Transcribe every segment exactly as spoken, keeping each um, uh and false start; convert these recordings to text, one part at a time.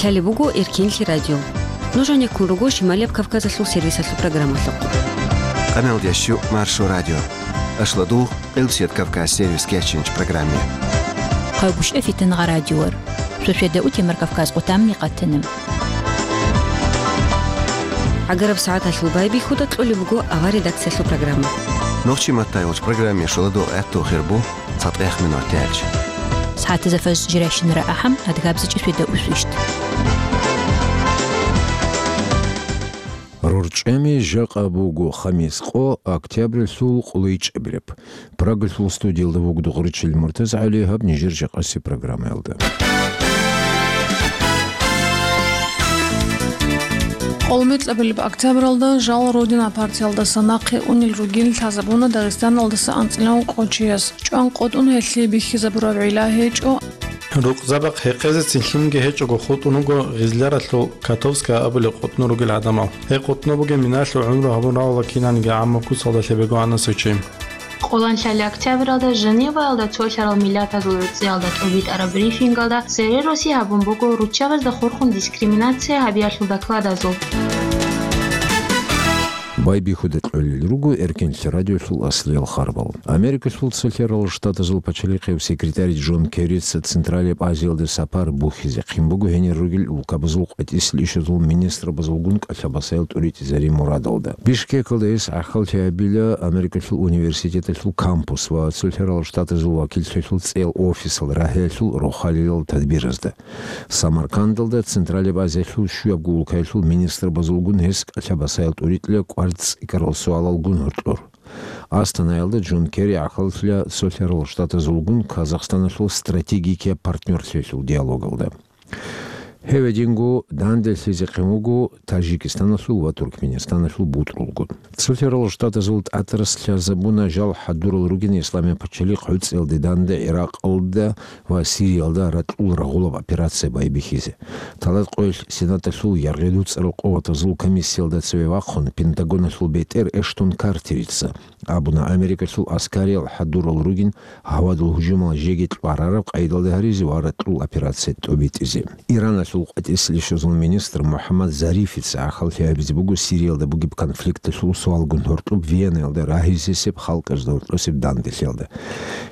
Лъалеб буго Эркенлъи радио. Нуж гьанеккун руго Шималияб Кавказалъул сервисалъул программалъухъ. Къаналдящу Маршо радио. Ашладу Къилбсият Кавказ сервис кечинч программе. Хъайбушев Фитангъа радиор. Шошеда утемар Кавказ къутамни къатанам. Агараб сагӀаталъул байбихьуда кьолеб буго авар редакциялъул программа. Нохчи маттайолч программе шоладо гӀатту хирбу цатӀех минут тяч. СагӀатаза фаз жиращинара ахӀам, адгабзичӀи шведа усвищт. РорчӀами жакъа буго хамис къо, октябрьлъул къулайчӀебираб. Прагалъул студиялда вугдугъ ричил МуртазагӀали гьаб нижер жакъаси программаялда. Къолмикьабилеб октябралда жал Родина партиялдаса нахъе унел ругин лъазабуна Дагъистаналдаса анцӀила ункъо чияс. ЧӀван къотӀун гьелъие бихьизабураб гӀилла гьечӀо. Рукъзабахъ гьекъезецин лъимги гьечӀого хутӀун вуго Гъизляралъул Котовская абулеб къотӀнур ругел гӀадамал. Гьеб къотӀнур бугеб минаялъул гӀумру гьабун равала кинаниги гӀаммаб куцалда лъебего анасев чи. Къоланлъали октябралда Женеваялда цолъарал миллатазул гӀуцӀиялда тӀубитӀараб брифингалда цере росизе гьабун буго руччабазда хурхун дискриминация гьабиялъул докладазул. Байбихьуда кьолел руго Эркенлъи радиолъул аслиял харбал. Америкалъул Цолъарал Штатазул пачалихъев секретарь Джон Керрица Централияб Азиялде сапар бухьизе хъин буго гьенир ругел улкабазул къватӀислъи ишазул министрабазулгун кӀалъабасаял тӀуритӀизари мурадалда. Бишкекалда гьес гӀахьаллъи гьабила Америкалъул университеталъул кампус ва Цолъарал Штатазул вакиллъиялъул цӀеял офисал рагьиялъул рохалилал тадбиразда. Самаркандалда Централияб Азиялъул щуябго улкаялъул министрабазулгун гьес кӀалъабасаял тӀуритӀила кӀвар цӀикӀкӀарал суалалгун гьоркьор. Астанаялда Джон Керри гӀахьаллъила Цолъарал Штатазулгун Казахстаналъул стратегикияб партнёрлъиялъул диалогалда. Гьев гьединго данделъизехъин вуго Тажикистаналъул ва Туркменистаналъул бутӀрулгун. Цолъарал Штатазул тӀатӀарас лъазабуна жал хӀадурал ругин Исламияб пачалихъ гӀуцӀиялде данде ГӀиракъалда ва Сириялда ракьул рагъулаб операция байбихьизе. Талат къоялъ Сенаталъул яргъи-дуцӀарал къуватазул комиссиялда цеве вахъун, Пентагоналъул бетӀер Эштон Картерица абуна, Америкалъул аскариял хӀадурал ругин гьавадул гьужумал жеги кьварараб къайдалда гьаризе ва ракьул операция тӀобитӀизе. Ираналъул къватӀислъи ишазул министр МухӀаммад Зарифица гӀахьаллъи гьабизе буго Сириялда бугеб конфликталъул суалгун гьоркьоб Венаялда рагьизесеб халкъазда гьоркьосеб данделъиялда.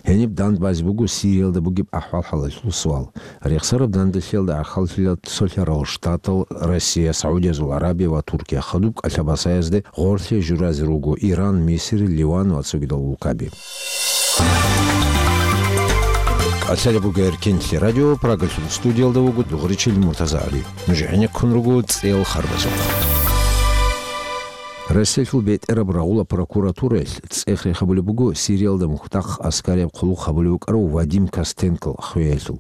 Гьениб дандбазе буго Сириялда бугеб ахӀвал-хӀалалъул суал. Рехсараб данделъиялда гӀахьаллъила Цолъарал Штатал, Россия, СагӀудиязул Арабия ва Туркия хадуб кӀалъабасаязде гъорлъе журазе руго Иран, Мисир, Ливан ва цогидал улкаби. КӀалъалеб буго Эркенлъи радио, Прагалъул студиялда вуго дугъричил МуртазагӀали. Нуж гӀенеккун руго цӀел харбазухъ. Россиялъул бетӀераб рагъула прокуратураялъ цӀех рехабулеб буго Сириялда мухьдахъ аскарияб хъулухъ гьабулев вукӀарав Вадим Костенкол хвеялъул.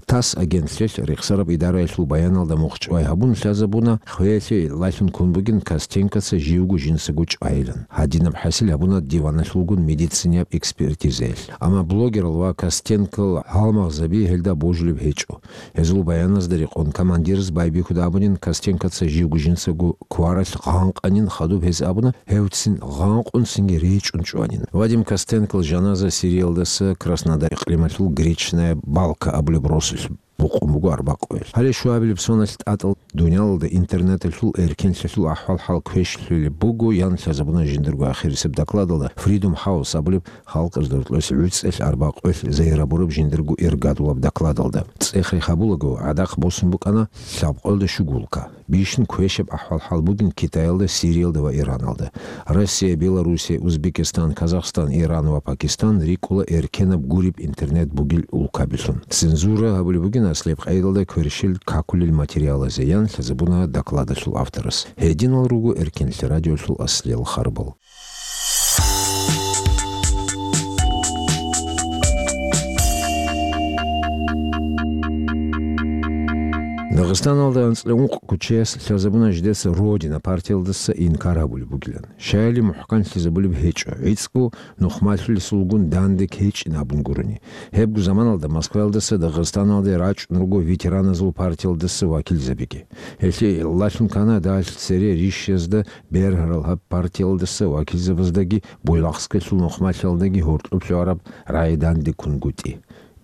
ТАСС агентлъиялъ рехсараб идараялъул баяналда мухъ чӀвай гьабун лъазабуна, хвеялъе гӀиллалъун ккун бугин Костенкоца живго жинцаго чӀвайилан. Гьадинаб хӀасил гьабуна диваналъулгун медицинияб экспертизаялъ. Амма блогерал ва Костенкол гьалмагъзаби гьелда божулеб гьечӀо. Гьезул баяназда рекъон командирас байбихьуда абунин, Костенкоца живго жинцаго кваралъ гъанкъанин, хадуб гьез абуна, гьевцин гъанкъун цинги речӀчӀун чӀванин. Вадим Костенкол жаназа Сириялдаса Краснодар икълималъул Гречная Балка абулеб росулъ букъун буго арбакъуялъ. Гьале щуабилеб соналъ тӀатӀал дуниялалда интернеталъул эркенлъиялъул ахӀвал-хӀал квешлъулеб буго, ян лъазабуна жиндирго ахирисеб докладалда Freedom House абулеб халкъазда гьоркьоса гӀуцӀелъ арбакъуялъ зайрабураб жиндирго иргадулаб докладалда. ЦӀех рехабулаго, гӀадахъ босун букӀана лъабкъоялда щуго улка. Бищун квешаб ахӀвал-хӀал бугин Китаялда, Сириялда ва Ираналда. Россия, Белоруссия, Узбекистан, Казахстан, Иран ва Пакистан рикӀкӀула эркенаб гуреб интернет бугел улкабилъун. Цензура гьабулеб бугин аслияб къайдалда кверщел какулел материалазе, ян лъазабуна докладалъул авторас. Гьединал руго Эркенлъи радиолъул аслиял харбал. Дагъистаналда анцӀила ункъ кучеяс лъазабуна жидеца Родина партиялдаса инкар гьабулеб бугилан. Щаяли мухӀканлъизабулеб гьечӀо, гӀицӀго нухмалъулесулгун данде кечӀин абун гурони. Гьебго заманалда Москваялдаса Дагъистаналде рачӀун руго ветераназул партиялдаса вакилзабиги. Гьелъие гӀиллалъун ккана дагьалъ цере рищазда бергьарал гьаб партиялдаса вакилзабаздаги Буйлахскалъул нухмалъиялдаги гьоркьоб лъугӀараб рагӀи дандеккунгутӀи.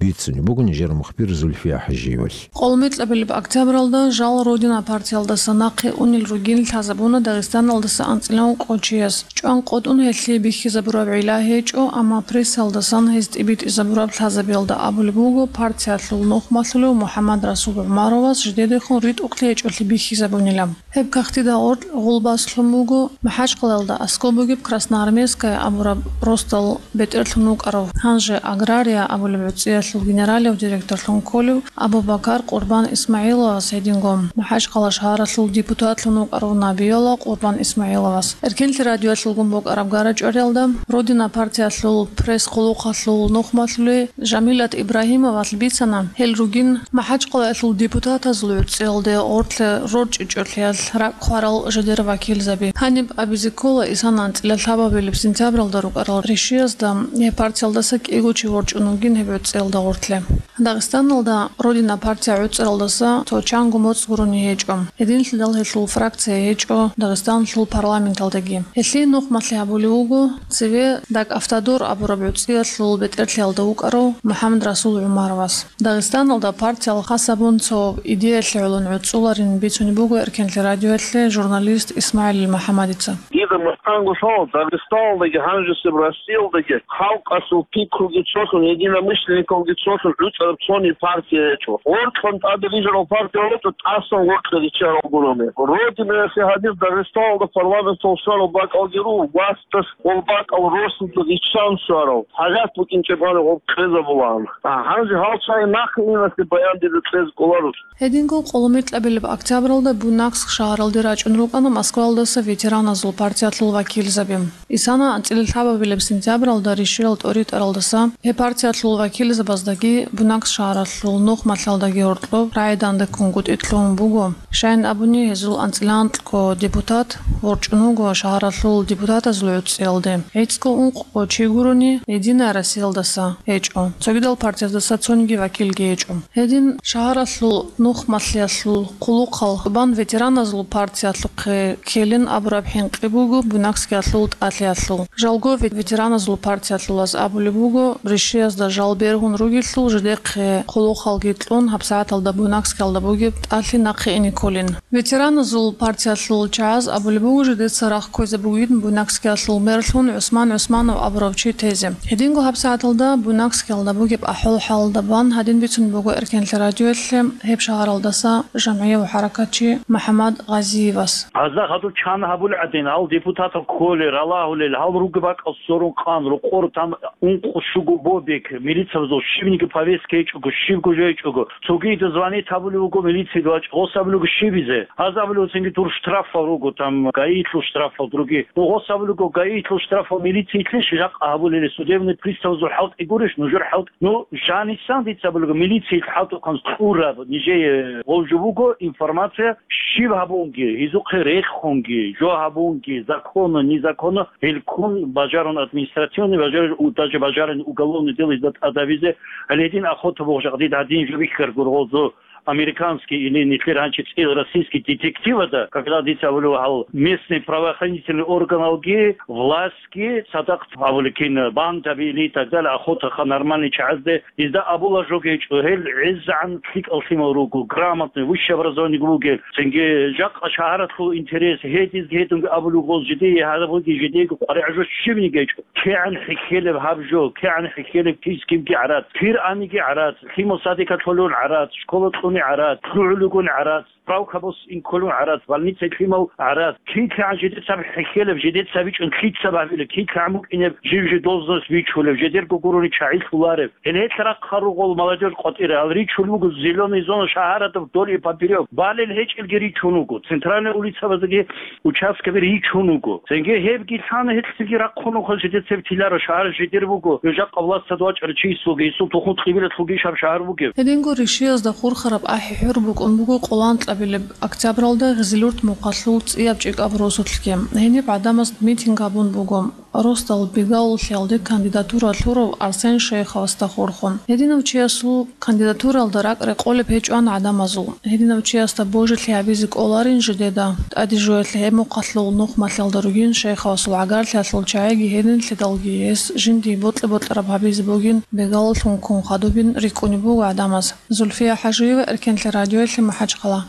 бицунеб буго нижер мухбир Зульфия Хажиевалъ. Къолмикьабилеб октябралда жал «Родина» партиялдаса нахъе унел ругин лъазабуна Дагъистаналдаса анцӀила ункъо чияс. ЧӀван къотӀун гьелъие бихьизабураб гӀилла гьечӀо, амма прессалдасан гьез тӀибитӀизабураб лъазабиялда абулеб буго, партиялъул нухмалъулев МухӀаммад Расул ГӀумаровас жидедехун ритӀухълъи гьечӀолъи бихьизабунила. Гьеб кагътида гъоркь гъулбас лъун буго МахӀачкъалаялда аскӀоб бугеб Красноармейская абураб росдал бетӀерлъун вукӀарав, гьанже Агрария абулеб гӀуцӀиялъул генералив директорлъун кколев Абу-Бакар Къурбан Исмагьиловас, гьединго МахӀачкъала шагьаралъул депутатлъун вукӀарав Набиялла Къурбан Исмагьиловас. Эркенлъи радиоялъулгун букӀараб гара-чӀвариялда «Родина» партиялъул пресс-хъулухъалъул нухмалъули Жамилат Ибрагьимовалъ бицана, гьел ругин МахӀачкъалаялъул депутатазул гӀуцӀиялде гъоркье рорчӀичӀолъиялъ ракӀ хъварал жидер вакилзаби. Гьаниб абизе ккола, исан анцӀила лъабабилеб сентябралда рукӀарал ришиязда гьеб партиялдаса кӀиго чи ворчӀун вугин гьеб гӀуцӀиялда гъоркье. Дагъистаналда «Родина» партия гӀуцӀаралдаса цо чанго моцӀ гурони гьечӀо. Гьединлъидал гьелъул фракция гьечӀо Дагъистаналъул парламенталдаги. Гьелъие нухмалъи гьабулев вуго цеве ДагАвтодор абураб гӀуцӀиялъул бетӀерлъиялда вукӀарав МухӀаммад Расул ГӀумаровас. Дагъистаналда партиял хас гьабун цо идеялъе гӀолон гӀуцӀуларин бицунеб буго Эркенлъи радиоялъе журналист ИсмагӀилил МухӀаммадица. Дида мухӀканго лъала, Дагъистаналдаги гьанжесеб Россиялдаги халкъалъул пикруги цолъун, единомышленниковги цолъун гӀуцӀараб цони партия гьечӀо. Гъоркьан тӀаде рижарал партия гьечӀо, тӀасан гъоркье риччарал гурони. Родинаялъе гьанир Дагъистаналда парламентал щварал бакӀалги руго, васдас гъол бакӀал росулъ риччан щварал. ХӀажат букӀинчӀеб гьаниб гъоб кьезабулаан. А гьанже гьал чагӀи нахъе инасе баян дида кьезе кӀоларо. Гьединго къоломикьабилеб октябралда Буйнакск шагьаралде рачӀун рукӀана Москваялдаса ветераназул партиялъул вакилзаби. Исана анцӀила лъабабилеб сентябралда ришиял тӀоритӀаралдаса гьеб партиялъул вакилзабаздаги Буйнакск шагьаралъул нухмалъалдаги гьоркьоб рагӀидандеккунгутӀи лъугьун буго. Щайин абуни, гьезул анцӀила анкьго депутат ворчӀун вуго шагьаралъул депутатазул гӀуцӀиялде. ГӀицӀго ункъго чи гурони, Единая Россиялдаса гьечӀо, цогидал партияздаса цониги вакилги гьечӀо. Гьедин шагьаралъул нухмалъиялъул хъулухъал бан ветераназул партиялъухъе ккелин абураб хӀинкъи буго Буйнакскиялъул тӀалъиялъул. Жалго ве-, ветераназул партиялъулаз абулеб буго, ришиязда жал бергьун ругелъул жидехъе хъулухъалги кьун гьабсагӀаталда Буйнакскиялда бугеб тӀалъи нахъе ине кколин. Ветераназул партиялъул чагӀаз абулеб буго, жидеца рагъ кквезе бугин Буйнакскиялъул мерлъун ГӀусман ГӀусманов абурав чи тезе. Гьединго гьабсагӀаталда Буйнакскиялда бугеб ахӀвал-хӀалалда бан гьадин бицун буго Эркенлъи радиоялъе гьеб шагьаралдаса жамгӀияв хӀаракатчи МухӀаммад Гъазиевас. Гьазда хадуб чан гьабулеб гӀадин, гьал депутатал кколел, ралагьулел, гьал ругеб бакӀал сорун къан, рокъор там ункъо-щуго бобик, милицабазул щибниги повестка гьечӀого, щибго жо гьечӀого, цогида звонить гьабулев вуго милицияда вачӀа, гъос абулего щибизе. Гьаз абулев цинги дур штрафал руго, там, ГАИлъул штрафал, другие. Ну, гъос абулего ГАИлъул штрафал милициялъе жакъа гьабулели, судебный приставазул хӀалтӀи гурищ, нужер хӀалтӀи. Ну, жанисан дица абулего, милициялъ хӀалтӀухъан кьураб, нижее гъов жо буго, информация, щиб гьабунги, гьезухъе рехунги, жо гьабунги, законно, незаконно, гьелкун бажарун административный, бажарун, даже бажарун уголовный дело гьезда тӀадабизе, гьале гьедин охота бугъ жакъдид гьадин жо бихьаргур гъозу американский или нилъер гьанчи цӀил российский детективада, когда дица абулев гьал местный правоохранительный органалги, властьги, цадахъ абуликин, бандаби или и так далее, охотаха нормальный чагӀазде, изда абула жо гьечӀо, гьел гӀезегӀан лъикӀал лъимал руго, грамотный, высшее образование бугел, цинги жакъа шагьаратлъул интерес, гьедизги гьединги абулев гъоз жидее гьабуги жидеего къваригӀажо щибниги гьечӀо. КигӀан хӀехьелеб гьаб жо, кигӀан хӀехьелеб кис кибги гӀарац, кир аниги гӀарац, лъимал садикалъулун гӀарац, школа кьуни гӀарац, лъугӀулигун гӀарац, справка босин кколун гӀарац, больница лъимал гӀарац, килъигӀан жидецаб хӀехьелеб, жидецаб бичӀун лъицаб гьабилеб, килъигӀан букӀинеб жив жи должность вичулев, жидерго гурони чагӀи лъуларев. Гьел гьелъ рахъа ругъул молодёжь къватӀира, гьал ричун буго зелёный зона шагьарада вдоль и поперёк. Балел гьечӀелги ричун вуго, центральный улицабаздаги участкаби ричун вуго. Цинги гьебги лъана гьелъ цинги рахъун вуго, жидецаби тиларо, шагьар жидер буго, жакъа властад вачӀарав чиясулги, гьесул тухум кьибилалъулги ишаб шагьар бугеб. Гьединго ришиязда хурхараб ахӀи-хӀур букӀун буго къоланкьа Билеб октябралда Гъизилурт мухъалъул цӀияб чӀикӀаб росулъги гьениб гӀадамаз митинг гьабун буго. Росдал Бегалулъиялде кандидатура лъурав Арсен Шейховасда хурхун. Гьединав чиясул кандидатуралда ракӀ рекъолеб гьечӀоан гӀадамазул. Гьединав чиясда божилъи гьабизе кӀоларин жидеда. ТӀаде жоялъе гьеб мухъалъул нухмалъиялда ругин Шейховасул гӀагарлъиялъул чагӀиги гьединлъидалги гьес жиндие бокьа-бокьараб гьабизе бугин Бегалулъун ккун хадубин рикӀкӀунеб буго гӀадамаз. Зульфия ХӀажиева, Эркенлъи радиоялъе, МахӀачхъала.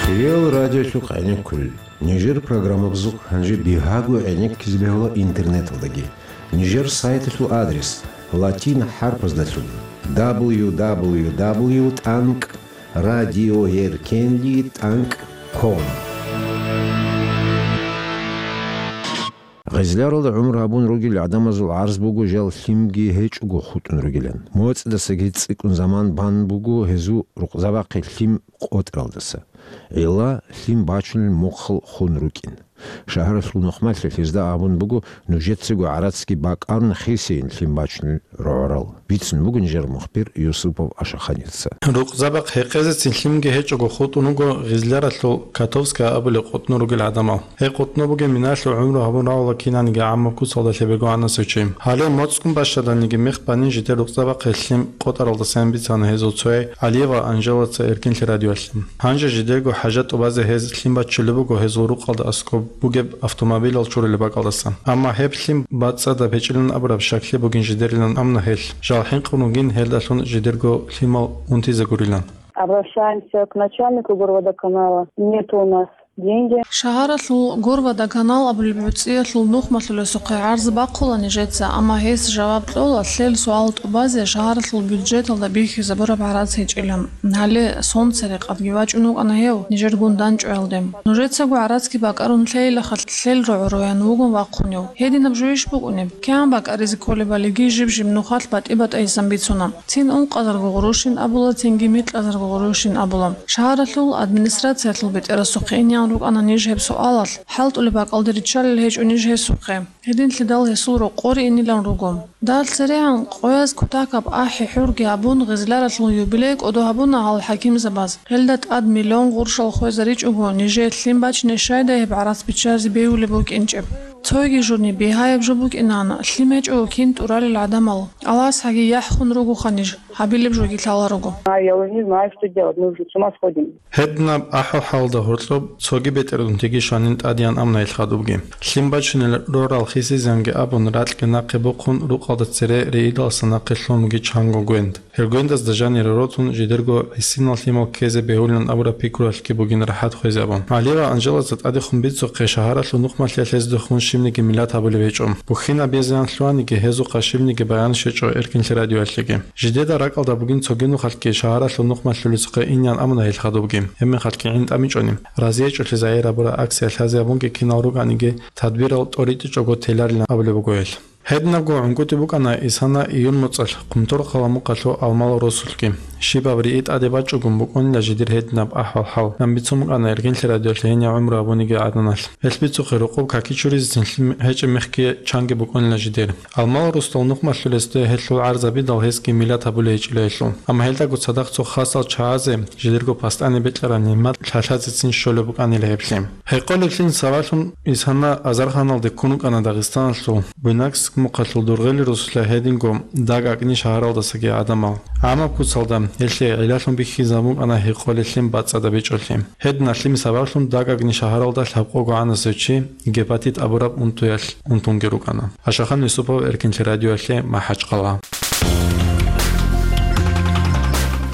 Хириял радиолъухъ гӀенеккулел. Нижер программабазухъ гьанже бигьаго гӀенеккизе бегьула интернеталдаги. Нижер сайталъул адрес латин хӀарпаздалъун: www.radioerkenli.com. Гъезляралда гӀумру гьабун ругел гӀадамазул гӀарз буго жал лъимги гьечӀого хутӀун ругилан. МоцӀидасаги цӀикӀкӀун заман бан буго гьезул рукъзабахъе лъим къотӀаралдаса. Гьела лъим бачунел мухъал хун рукӀин. Шагьаралъул нухмалъи гьезда абун буго, нужецаго гӀарацги бакӀарун хисейин лъим бачунел рогӀорал. Бицун буго нижер мухбир Юсупов Ашаханица. Рукъзабахъ гьекъезецин лъимги гьечӀого хутӀун руго Гъизляралъул Котовская абулеб къутӀнур ругел гӀадамал. Гьеб къутӀнур бугеб миналъул гӀумру гьабун равула кинаниги гӀаммаб куцалда лъебего гӀанасев чи. Гьале моцӀгун бащадалниги мех банин жидер рукъзабахъе лъим къотӀаралдасан бицана гьезул цояй Алиева Анжелаца Эркенлъи радиоялъе. Гьанже жидерго хӀажат тӀубазе гьез лъим бачулеб буго гьезул рукъалда аскӀоб бугеб автомобилал чурулеб бакӀалдасан. Амма гьеб лъим бацӀцӀадаб гьечӀилан абураб щаклъи бугин жидерилан амна гьелъ. Жал хӀинкъун ругин гьелдалъун жидерго лъимал унтизе гурилан. Обращаемся к начальнику горводоканала. Нету у нас деньги. Шагьаралъул Горводоканал абулеб гӀуцӀиялъул нухмалъулесухъе гӀарз бахъула нижеца, амма гьес жаваб кьола, лъел суал тӀубазе шагьаралъул бюджеталда бихьизабураб гӀарац гьечӀила. Гьале сон церекъадги вачӀун вукӀана гьев, нижергун данчӀоялде. Нужецаго гӀарацги бакӀарун лъейилаха, лъел рогӀо роян вугун вахъунев. Гьединаб жойищ букӀунеб? КигӀан бакӀаризе кколебалиги жиб-жиб нухалъ батӀи-батӀайисан бицуна. Цин ункъазарго гъурущин абула, цинги микьазарго гъурущин абула. Шагьаралъул администрациялъул бетӀерасухъе инеян рукӀана ниж гьеб суалалъ, хӀалтӀулеб бакӀалде риччалел гьечӀо ниж гьесухъе. Гьединлъидал гьесул рокъоре инилан руго. Дагь церегӀан къояз кутакаб ахӀи-хӀурги абун, Гъизляралъул юбилей кӀодо гьабуна гьал хӀакимзабаз. Гьелда тӀад миллион гъурщал хвезаричӀого, нижее лъим бачине щайдай гьеб гӀарац биччазе бегьулеб букӀинчӀеб? Цойги журни бигьаяб жо букӀинан, лъим гьечӀого кин тӀуралел гӀадамал. Аллагьас гьаги яхӀ хун ругоха ниж, гьабилеб жоги лъала руго. А я уже не знаю, что делать, мы уже с ума сходим. Гьединаб ахӀвал-хӀалда гьоркьоб цоги бетӀергьунтиги шанин тӀадеян амна гьел хадубги. Лъим бачунел рорал хисизанги абун, ракьги нахъе бухъун, рукъалда цере риидалса нахъе лъун буги чанго гвенд. Гьел гвендазда жанире ротун, жидерго гӀисинал лъимал ккезе бегьулин абураб пикруялъги бугин рахӀат хвезе абун. Алиева Анжелаца тӀадехун бицухъе, шагьаралъул нухмалъиялъ гьездехун щибниги миллат гьабулеб гьечӀо. Бухьинаб безеян лъугьаниги, гьезухъа щибниги баян щвечӀо Эркинлъи радиоялъеги. Жидеда ракӀалда бугин цоги нухалъги шагьаралъул нухмалъулесухъе инеян амуна гьел хадубги, гьеб мехалъги гӀин тӀамичӀони. РазиячӀулъи загьир гьабураб акция лъазе абунги кинал рукӀаниги, тадбирал тӀоритӀичӀого теларилан абулеб буго гьел. Гьединабго гӀунгутӀи букӀана Исана июль моцӀалъ Хъумторхъала мухъалъул Алмала росулъги. Щибаб рии тӀаде бачӀугун букӀунила жидер гьединаб ахӀвал-хӀал, ан бицун букӀана Эркинлъи радиоялъе гьенив гӀумру гьабуниги гӀаданалъ. Гьелъ бицухъе рокъоб какичуризе цин лъим гьечӀеб мехги чанги букӀунила жидер. Алмала росдал нухмалъулесде гьелъул гӀарзабидал гьесги миллат гьабулей гьечӀила гьелъул. Амма гьелдаго цадахъ цо хасал чагӀазе жидерго пастӀани бекьараб нигӀмат лъалъазецин щолеб букӀанила гьеб лъим. Гьекъолеблъин сабаблъун Исана азарханалде ккун вукӀана Дагъистаналъул Буйнакск мухъалъул Дургъели росулъа гьединго Дагъ-АкӀни шагьаралдасаги гӀадамал. ГӀамаб куцалда гьелъие гӀиллалъун бихьизабун букӀана гьекъолеблъин бацӀцӀадаб гьечӀолъи. Гьедин лъим сабаблъун Дагъ-АкӀни шагьаралда лъабкъого гӀанасев чи гепатит абураб унтуялъ унтунги рукӀана. Ашахан Юсупов, Эркинлъи радиоялъе, МахӀачхъала.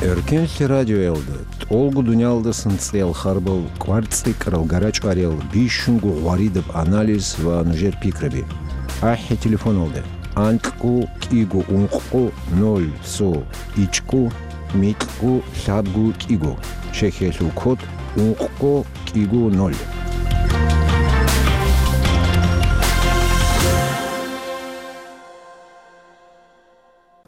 Эркинлъи радиоялда тӀолго дуниялдасан цӀеял харбал, кӀвар цӀикӀкӀарал, гарачӀвариял, бищунго гъваридаб анализ ва нужер пикраби. АхӀи телефоналда: анкьго кӀиго ункъго ноль цо ичӀго микьго лъабго кӀиго. Чехиялъул код: ункъго кӀиго ноль.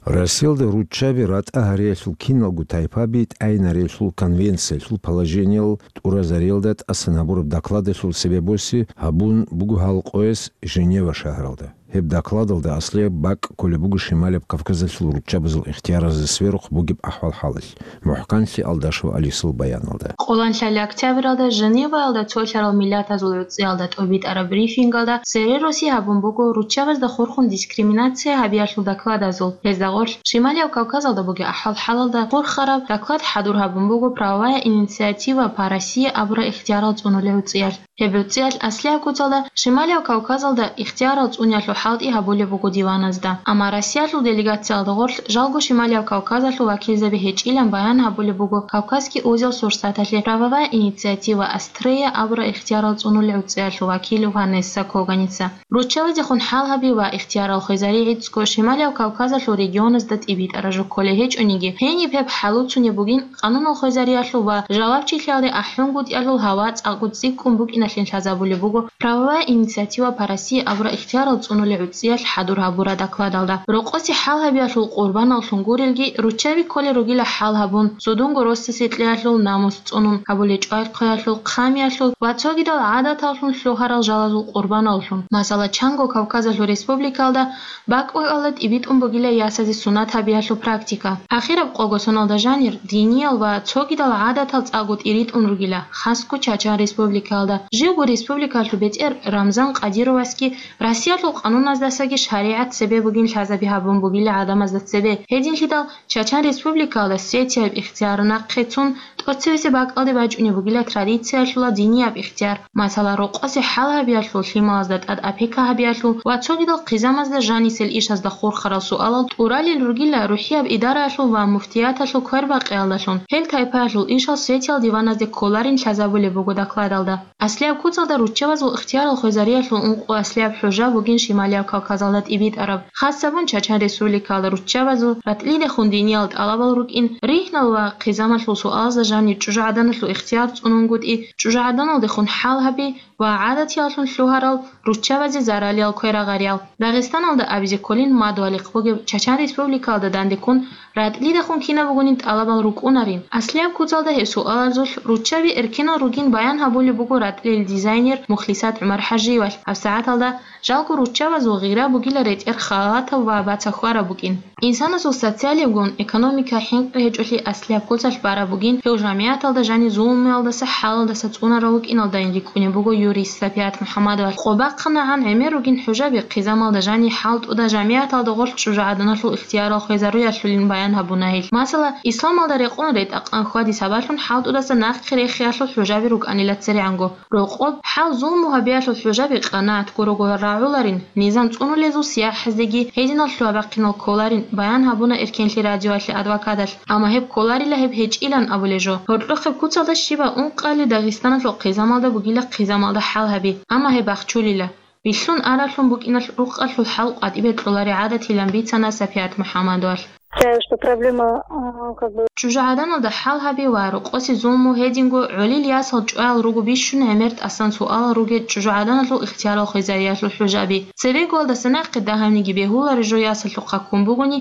Россиялда руччаби ратӀа гьариялъул киналго тайпаби тӀайнарелъул конвенциялъул положениял тӀуразариялда тӀасан гьабураб докладалъул цебе боси гьабун буго гьал къояс Женева шагьаралда. Гьеб докладалда аслияб бакӀ кколеб буго Шималияб Кавказалъул руччабазул ихтияразда сверухъ бугеб ахӀвал-хӀалалъ, МухӀканлъи Алдашева Алисул баяналда. Къоланлъали октябралда Женеваялда цолъарал миллатазул гӀуцӀиялда тӀобитӀараб брифингалда цере росизе гьабун буго руччабазда хурхун дискриминация гьабиялъул докладазул. Гьезда гъорлъ Шималияб Кавказалда бугеб ахӀвал-хӀалалда хурхараб доклад хӀадур гьабун буго «Правовая инициатива по России» абураб ихтиярал цӀунулел гӀуцӀиялъ. Гьеб гӀуцӀиялъ аслияб куцалда Шималияб Кавказалда ихтиярал цӀуниялъул хӀалтӀи гьабулеб буго диваназда. Амма Россиялъул делегациялда гъорлъ жалго Шималияб Кавказалъул вакилзаби гьечӀилан баян гьабулеб буго Кавказский узел Сурсаталъе «Правовая инициатива Астрея» абураб ихтиярал цӀунулел гӀуцӀиялъул вакил Ванесса Коганица. Руччабазехун хӀал гьаби ва ихтиярал хвезари гӀицӀго Шималияб Кавказалъул регионазда тӀибитӀараб жо кколей гьечӀониги, гьениб гьеб хӀалуцунеб бугин, къанунал хвезариялъул ва жавабчилъиялде ахӀунгутӀиялъул гьава цӀакъго цӀикӀкӀун букӀиналъин лъазабулеб буго «Правовая инициатива по России» абураб ихтиярал цӀунулел гӀуцӀиялъ хӀадур гьабураб докладалда. Рокъосе хӀал гьабиялъул къурбаналлъун гурелги, руччаби кколел ругила хӀал гьабун, цудунго росасе кьеялъул намус цӀунун, гьабулел чӀвай-хъвеялъул, хъамиялъул ва цогидал гӀадаталлъун лъугьарал жалазул къурбаналлъун. Масала, чанго Кавказалъул республикаялда бакӀ-бакӀалда тӀибитӀун бугила ясазе сунат гьабиялъул практика. Ахираб къого соналда жанир, диниял ва цогидал гӀадатал цӀакъго тӀиритӀун ругила, хасго Чачан республикаялда. Живго республикалъул бетӀер Рамзан Кадыровасги Россиялъул къануназдасаги шаригӀат цебе бугин лъазаби гьабун бугила гӀадамазда цебе. Гьединлъидал Чачан республикаялда светияб ихтияр нахъе цун, тӀоцевесеб бакӀалде бачӀунеб бугила традициялъула динияб ихтияр, масала, рокъосе хӀал гьабиялъул, лъималазда тӀад опека гьабиялъул ва цогидал хъизамазда жанисел ишазда хурхарал суалал тӀуралел ругила рухӀияб идараялъул ва муфтияталъул квербакъиялдалъун. Гьел тайпаялъул ишал светиял диваназде кколарин лъазабулеб буго докладалда. Аслияб куцалда руччабазул ихтиярал хвезариялъул ункъо аслияб хӀужа бугин Шималияб Кавказалда тӀибитӀараб. Хасабун Чачан республикаялда руччабазул ратӀлидехун диниял тӀалабал рукӀин, ригьнал ва хъизамалъул суалазда жанир чӀужугӀаданалъул ихтияр цӀунунгутӀи, чӀужугӀаданалдехун хӀал гьаби ва гӀадатияллъун лъугьарал руччабазе заралиял кверагъариял. Дагъистаналда абизе кколин мадугьалихъ бугеб Чачан республикаялда дандеккун ратӀлидехун кинаб бугонин тӀалабал рукӀунарин. Аслияб куцалда гьеб суалазулъ руччаби эркенал ругин баян гьабулеб буго ратӀлил дизайнер Мухлисат ГӀумар-ХӀажиевалъ. ГьабсагӀаталда жалго руччабазул гъира бугила ретӀер халатаб ва бацахьараб букӀин. Инсанасул социалиябгун экономика хӀинкъи гьечӀолъи аслияб куцалъ бараб бугин, гьев жамигӀаталда жанир зулмуялдаса, хӀалалдаса цӀунарав вукӀиналдайин рикӀкӀунеб буго юрист Сапият МухӀаммадовалъ. Къо бахъанагӀан гӀемер ругин хӀужаби хъизамалда жанир хӀалтӀуда жамигӀаталда гъорлъ чӀужугӀаданалъул ихтиярал хвезаруялъулин баян гьабуна гьел. Масала, исламалда рекъон ретӀа-къан хьвади сабаблъун хӀалтӀудаса нахъе рехиялъул хӀужаби рукӀанила церегӀанго. Рокъоб хӀал-зулму гьабиялъул хӀужаби къанагӀат гурого рагӀуларин, низам цӀунулезул сияхӀаздеги гьединал лъугьа-бахъинал кколарин, баян гьабуна Эркенлъи радиоялъе адвокаталъ. Амма гьеб кколарила гьеб гьечӀилан абулеб жо. Гьоркьохъеб куцалда щибаб ункъали Дагъистаналъул хъизамалда бугила хъизамалда хӀал гьаби, амма гьеб бахчулила. Билълъун аралъун букӀиналъ рукъалъул хӀал къватӀибе кьолари гӀадатилан бицана Сапият МухӀаммадовалъ. Считаю, что проблема, а, как бы ЧӀужугӀаданалда хӀал гьаби ва рокъосе зулму гьединго гӀолил ясал чӀваял руго бищун гӀемер тӀасан суалал ругел чӀужугӀаданалъул ихтиярал хвезариялъул хӀужаби. Цебегоялдаса нахъе дагьабниги бегьулари жо ясалъухъа ккун бугони,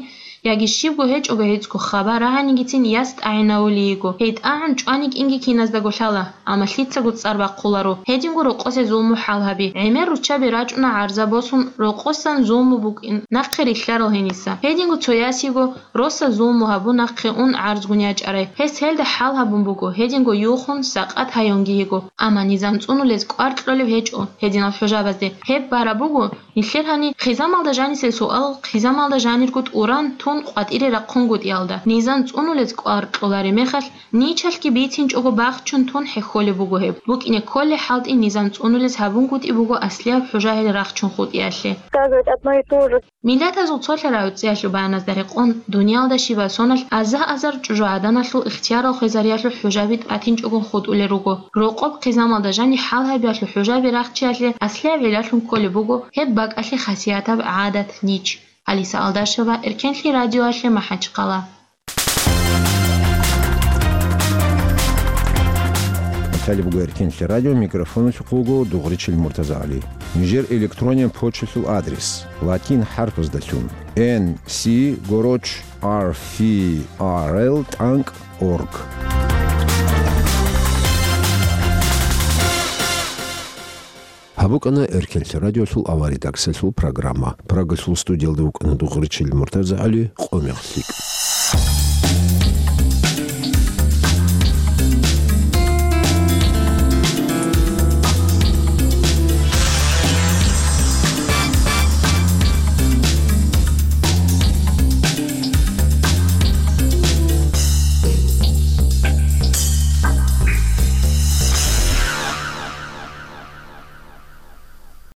яги щибго гьечӀого гьецӀго хабар рагӀанигицин яс тӀагӀинавулиего. Гьей тӀагӀун чӀванигинги киназдаго лъала, амма лъицаго цӀар бахъуларо. Гьединго рокъосе зулму хӀал гьаби. ГӀемер руччаби рачӀуна гӀарза босун, рокъосан зулму букӀин, нахъе рилълъарал гьениса. Гьединго цо ясиго, росас зулму гьабун нахъе ун гӀарзгун ячӀарай. Гьес гьелда хӀал гьабун буго, гьединго юхун, сакъат гьаюнги йиго. Амма низам цӀунулез кӀвар кьолеб гьечӀо гьединал хӀужабазде. Гьеб бараб буго, нилъер гьани хъизамалда жанисел суал хъизамалда жанирго тӀуран тун къватӀире рахъунгутӀиялда. Низам цӀунулез кӀвар кьолареб мехалъ, ничалъги бицинчӀого бахчун тун хӀехьолеб буго гьеб. БукӀине кколей хӀалтӀи низам цӀунулез гьабунгутӀи буго аслияб хӀужа гьел рахчун хутӀиялъе. Сказывать одно и то же. Миллатазул цолъарав гӀуцӀиялъул баяназда рекъон, дуниялда щибаб соналъ азар-азар чӀужугӀаданалъул ихтиярал хвезариялъул хӀужаби тӀатинчӀогун хутӀулел руго. Рокъоб хъизамалда жанир хӀал гьабиялъул хӀужаби рахчиялъе аслияб гӀиллалъун кколеб буго гьеб бакӀалъе хасиятаб гӀадат, нич. Алиса Алдашева, Эркенлъи радиоялъе, МахӀачхъала. Талиб буго Эркенлъи радио, микрофоналъухъ вуго Дугъричил МуртазагӀали. Нижер электрониян почталъул адрес: латин хӀарпаздалъун, N C гороч R F R L тӀанкӀ org. Абукана Эркенлъи радиолъул авария даксалъул программа. Прагалъул студиялда вукӀана дугъричил МуртазагӀали, къо-мех лъикӀ.